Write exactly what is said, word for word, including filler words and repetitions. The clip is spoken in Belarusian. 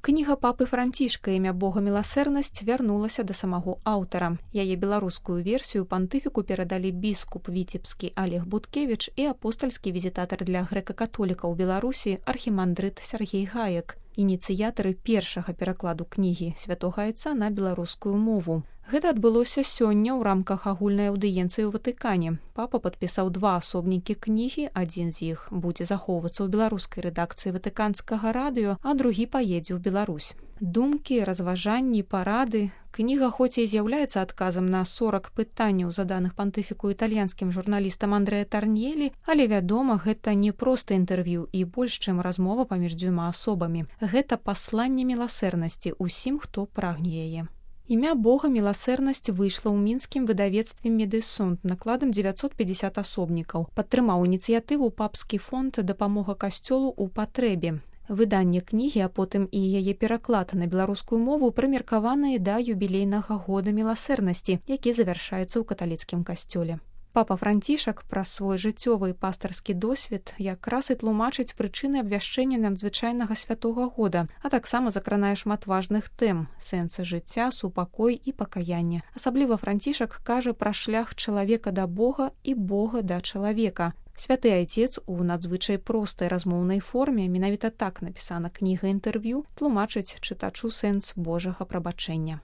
Кніга папы Францішка «Імя Бога міласэрнасць» вярнулася да самого аўтара. Яе беларускую версію пантыфіку перадалі біскуп віцебскі Олег Буткевіч і апостальскі візітатар для грэка-католікаў Беларусі архімандрыт Сергей Гаек, ініцыятары першага перакладу кнігі святога айца на беларускую мову. Гэта адбылося сёння ў рамках агульнай аўдыенцыі ў Ватыкане. Папа падпісаў два асобнікі кнігі, адзін з іх будзе захоўвацца ў беларускай рэдакцыі ватыканскага радыё, а другі паедзе ў Беларусь. Думкі, разважанні, парады. Кніга хоць і з'яўляецца адказам на сорак пытанняў, заданых пантыфіку італьянскім журналістам Андрэа Тарньелі, але, вядома, гэта не проста інтэрв'ю і больш, чым размова паміж дзвюма асобамі. Гэта пасланне міласэрнасці ўсім, хто прагне яе. «Імя Бога міласэрнасць» выйшла ў мінскім выдавецтве «Медысунд» накладам дзевяцьсот пятьдесят асобнікаў. Падтрымаў ініцыятыву папскі фонд «Дапамога касцёлу ў патрэбе». Выданне кнігі, а потым і яе пераклад на беларускую мову прымеркаваныя да юбілейнага года міласэрнасці, які завяршаецца ў каталіцкім касцёле. Папа Францішак праз свой жыццёвы і пастарскі досвед якраз і тлумачыць прычыны абвяшчэння надзвычайнага святога года, а таксама закранае шмат важных тэм – сэнсы жыцця, супакой і пакаяння. Асабліва Францішак кажа пра шлях чалавека да Бога і Бога да чалавека. Святы айцец у надзвычай простай размоўнай форме, менавіта так напісана кніга інтэрв'ю, тлумачыць чытачу сэнс Божага прабачэння.